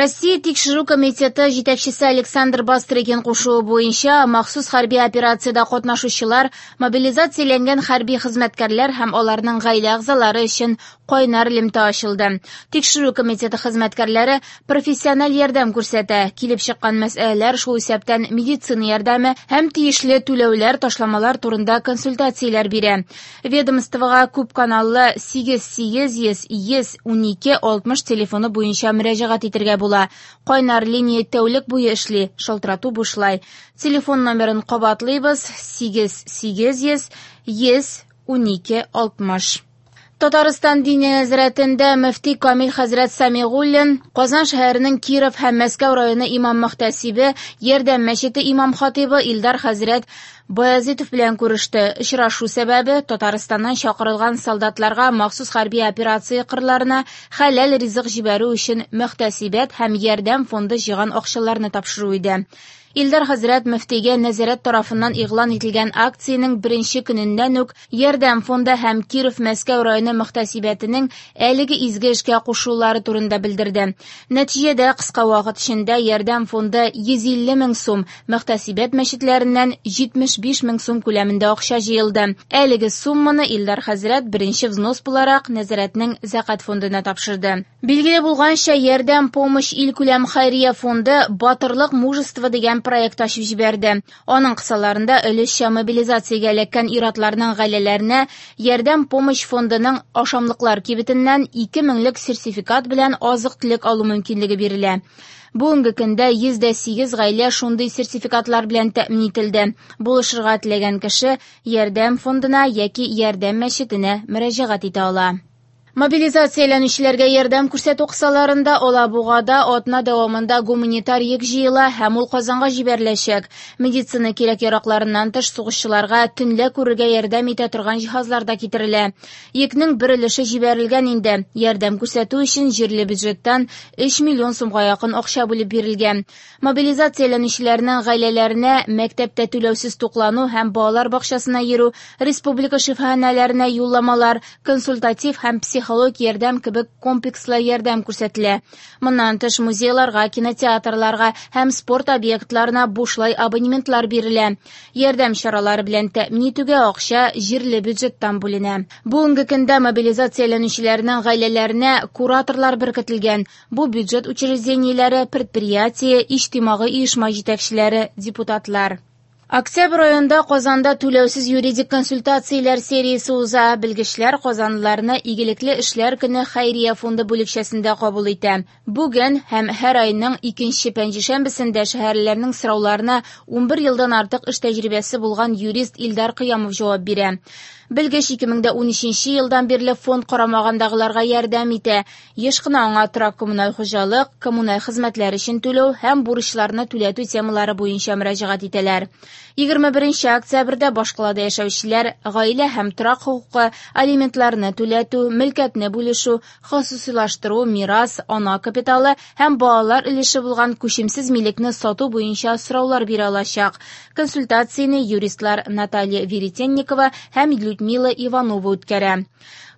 Россия Тикшерү комитеты җитәкчесе Александр Бастрыкин кушуы буенча махсус хәрби операциядә катнашучылар, мобилизацияләнгән хәрби хезмәткәрләр һәм аларның гаилә әгъзалары өчен кайнар элемтә ачылды. Тикшерү комитеты хезмәткәрләре профессиональ ярдәм күрсәтә. Килеп чыккан мәсьәләләр, шул исәптән медицина ярдәме һәм тиешле түләүләр, ташламалар турында консультацияләр бирә. Ведомствога күпканаллы 8 800 112 60 телефоны буенча мөрәҗәгать итәргә була. Кайнар линия тәүлек буе эшли, шалтырату бушлай. Телефон номерын кабатлыйбыз: 8 800 112 60. Татарстан Диния нәзарәтендә мөфти Камил хәзрәт Самигуллин, Казан шәһәренең Киров һәм Мәскәү районы имам-мөхтәсибе, Ярдәм мәчете имам-хатыйбы Илдар хәзрәт Баязитов белән күреште. Очрашу сәбәбе Татарстаннан чакырылган солдатларга махсус хәрби операция кырларына хәләл ризык җибәрү өчен мөхтәсибәт һәм Ярдәм фонды җыйган акчаларны тапшыру иде. Илдар хәзрәт мөфтигә нәзарәт тарафыннан игълан ителгән акциянең беренче көненнән үк Ярдәм фонды һәм Киров Мәскәү районы мөхтәсибәтенең әлеге изге эшкә кушылулары турында белдерде. Нәтиҗәдә кыска вакыт эчендә Ярдәм фонды 150 мең сум, мөхтәсибәт мәчетләреннән 75 мең сум күләмендә акча җыелды. Әлеге сумманы Илдар хәзрәт беренче взнос буларак нәзарәтнең зәкят фондына тапшырды. Билгеле булганча, Ярдәм помощь илкүләм хәйрия фонды Батырлык мужество дигән проект ачып җибәрде. Аның кысаларында өлешчә мобилизациягә эләккән ир-атларның гаиләләренә Ярдәм помощь фондының ашамлыклар кибетеннән 2 меңлек сертификат белән азык-төлек алу мөмкинлеге бирелә. Бүгенге көндә 108 гаилә шундый сертификатлар белән тәэмин ителде. Булышырга теләгән кеше Ярдәм фондына яки Ярдәм мәчетенә мөрәҗәгать итә ала. Мобилизацияләнүчеләргә ярдәм күрсәтү кысаларында Алабугада атна дәвамында гуманитар йөк җыела һәм ул Казанга җибәреләчәк. Медицина кирәк-яракларыннан тыш сугышчыларга төнлә күрергә ярдәм итә торган җиһазлар да китерелә. Йөкнең бер өлеше җибәрелгән инде. Ярдәм күрсәтү өчен җирле бюджеттан 3 миллион сумга якын акча бүлеп бирелгән. Мобилизацияләнүчеләрнең гаиләләренә мәктәптә түләүсез туклану һәм балалар бакчасына йөрү, республика шифаханәләренә юлламалар, консультатив һәм психологик ярдәм кебек комплекслы ярдәм күрсәтелә. Моннан тыш музейларга, кинотеатрларга һәм спорт объектларына бушлай абонементлар бирелә. Ярдәм чаралары белән тәэмин итүгә акча җирле бюджеттан бүленә. Бүгенге көндә мобилизацияләнүчеләрнең гаиләләренә кураторлар беркетелгән. Бу бюджет учреждениеләре, предприятие, иҗтимагый оешма җитәкчеләре, депутатлар. Октябрь аенда Казанда түләүсез юридик консультацияләр сериясе уза. Белгечләр казанлыларны Игелекле эшләр көне хәйрия фонды бүлекчәсендә кабул итә. Бүген һәм һәр айның икенче пәнҗешәмбесендә шәһәрлеләрнең сорауларына 11 елдан артык эш тәҗрибәсе булган юрист Илдар Кыямов җавап бирә. Белгеч 2013 елдан бирле фонд карамагындагыларга ярдәм итә. Еш кына аңа торак коммуналь хуҗалык, коммуналь хезмәтләр өчен түләү һәм бурычларны түләтү темалары буенча мөрәҗәгать итәләр. 21 октябрьдә башкалада яшәүчеләр гаилә һәм торак хокукы, алиментларны түләтү, мөлкәтне бүлешү, хосусыйлаштыру, мирас, ана капиталы һәм балалар өлеше булган күчемсез милекне сату буенча сораулар бирә алачак. Консультацияне юристлар Наталья Веретенникова һәм Людмила Иванова үткәрә.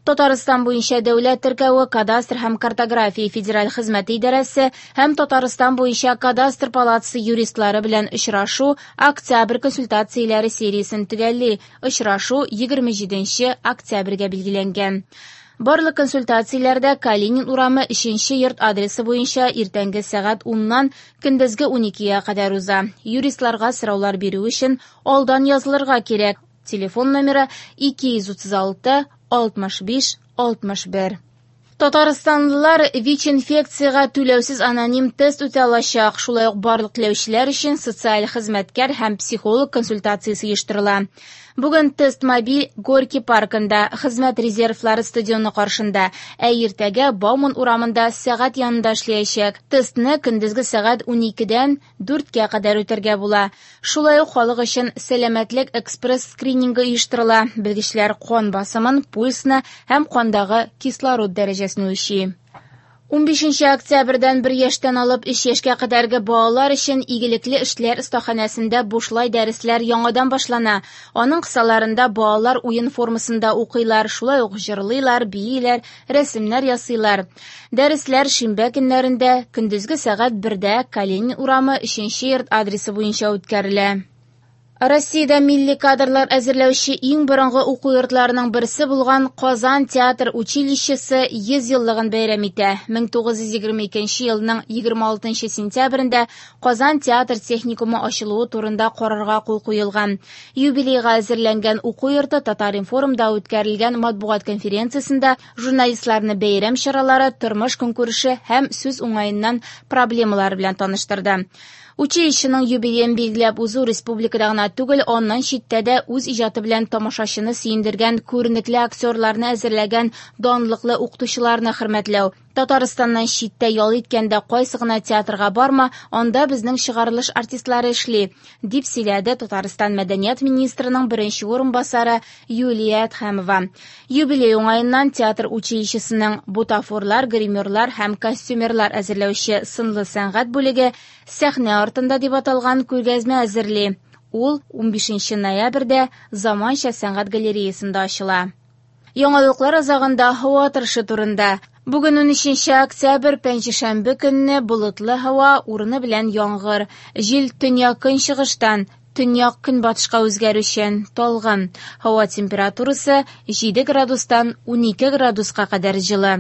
Татарстан буенча дәүләт теркәве, кадастр һәм картография федераль хезмәте идарәсе һәм Татарстан буенча кадастр палатасы юристлары белән очрашу октябрь консультацияләре сериясен төгәлли. Очрашу 27 октябрьгә билгеләнгән. Барлык консультацияләрдә Калинин урамы 3 йорт адресы буенча иртәнге сәгать 10-нан көндезге 12-гә кадәр уза. Юристларга сораулар бирү өчен алдан язылырга кирәк. Телефон номеры 236 65 61. Татарстанлылар ВИЧ-инфекциягә түләүсез аноним тест үтә алачак. Шулай ук барлык теләүчеләр өчен социаль хезмәткәр һәм психолог консультациясе оештырыла. Бүген тест мобиль Горький паркында, хезмәт резервлары стадионы каршында, ә иртәгә Бауман урамында сәгать янында эшләячәк. Тестны көндезге сәгать 12-дән 4-кә кадәр үтәргә була. Шулай ук халык өчен сәламәтлек экспресс скринингы оештырыла. Белгечләр кан басымын, пульсны һәм кандагы кислород дәрәҗәсен үлчи. 15 октябрьдән 1 яшьтән алып 3 яшькә кадәрге балалар өчен игелекле эшләр остаханәсендә бушлай дәресләр яңадан башлана. Аның кысаларында балалар уен формасында укыйлар, шулай ук җырлыйлар, бииләр, рәсемнәр ясыйлар. Дәресләр шимбә көннәрендә көндезге сәгать 1дә Калинин урамы 3 йорт адресы буенча үткәрелә. Россиядә милли кадрлар әзерләүче иң борынгы уку йортларының берсе булган Казан театр училищесы 100 еллыгын бәйрәм итә. 1922 елның 26 сентябрендә Казан театр техникумы ачылуы турында карарга кул куелган. Юбилейга әзерләнгән уку йорты Татар-информда үткәрелгән матбугат конференциясендә журналистларны бәйрәм чаралары, тормыш көнкүреше һәм сүз уңаеннан проблемалары белән таныштырды. Училищеның юбилеен билгеләп узу республикада гына түгел, аннан читтә дә үз иҗаты белән тамашачыны сөендергән күренекле актерларны әзерләгән данлыклы укытучыларны хөрмәтләү. Татарстаннан читтә ял иткәндә кайсы гына театрга барма, анда безнең чыгарылыш артистлары эшли, дип сөйләде Татарстан мәдәният министрының беренче урынбасары Юлия Әдһәмова. Юбилей уңаеннан театр училищесының бутафорлар, гримерлар һәм костюмерлар әзерләүче сынлы сәнгать бүлеге сәхнә артында дип аталган күргәзмә әзерли. Ул 15 ноябрьдә Заманча сәнгать галереясында ачыла. Яңалыклар азагында һава торышы турында. Бүген 13 октябрь, пәнҗешәмбе көнне болытлы һава, урыны белән яңгыр. Җил төньяк-көнчыгыштан төньяк-көнбатышка үзгәрүчән, талгын. Һава температурасы 7 градустан 12 градуска кадәр җылы.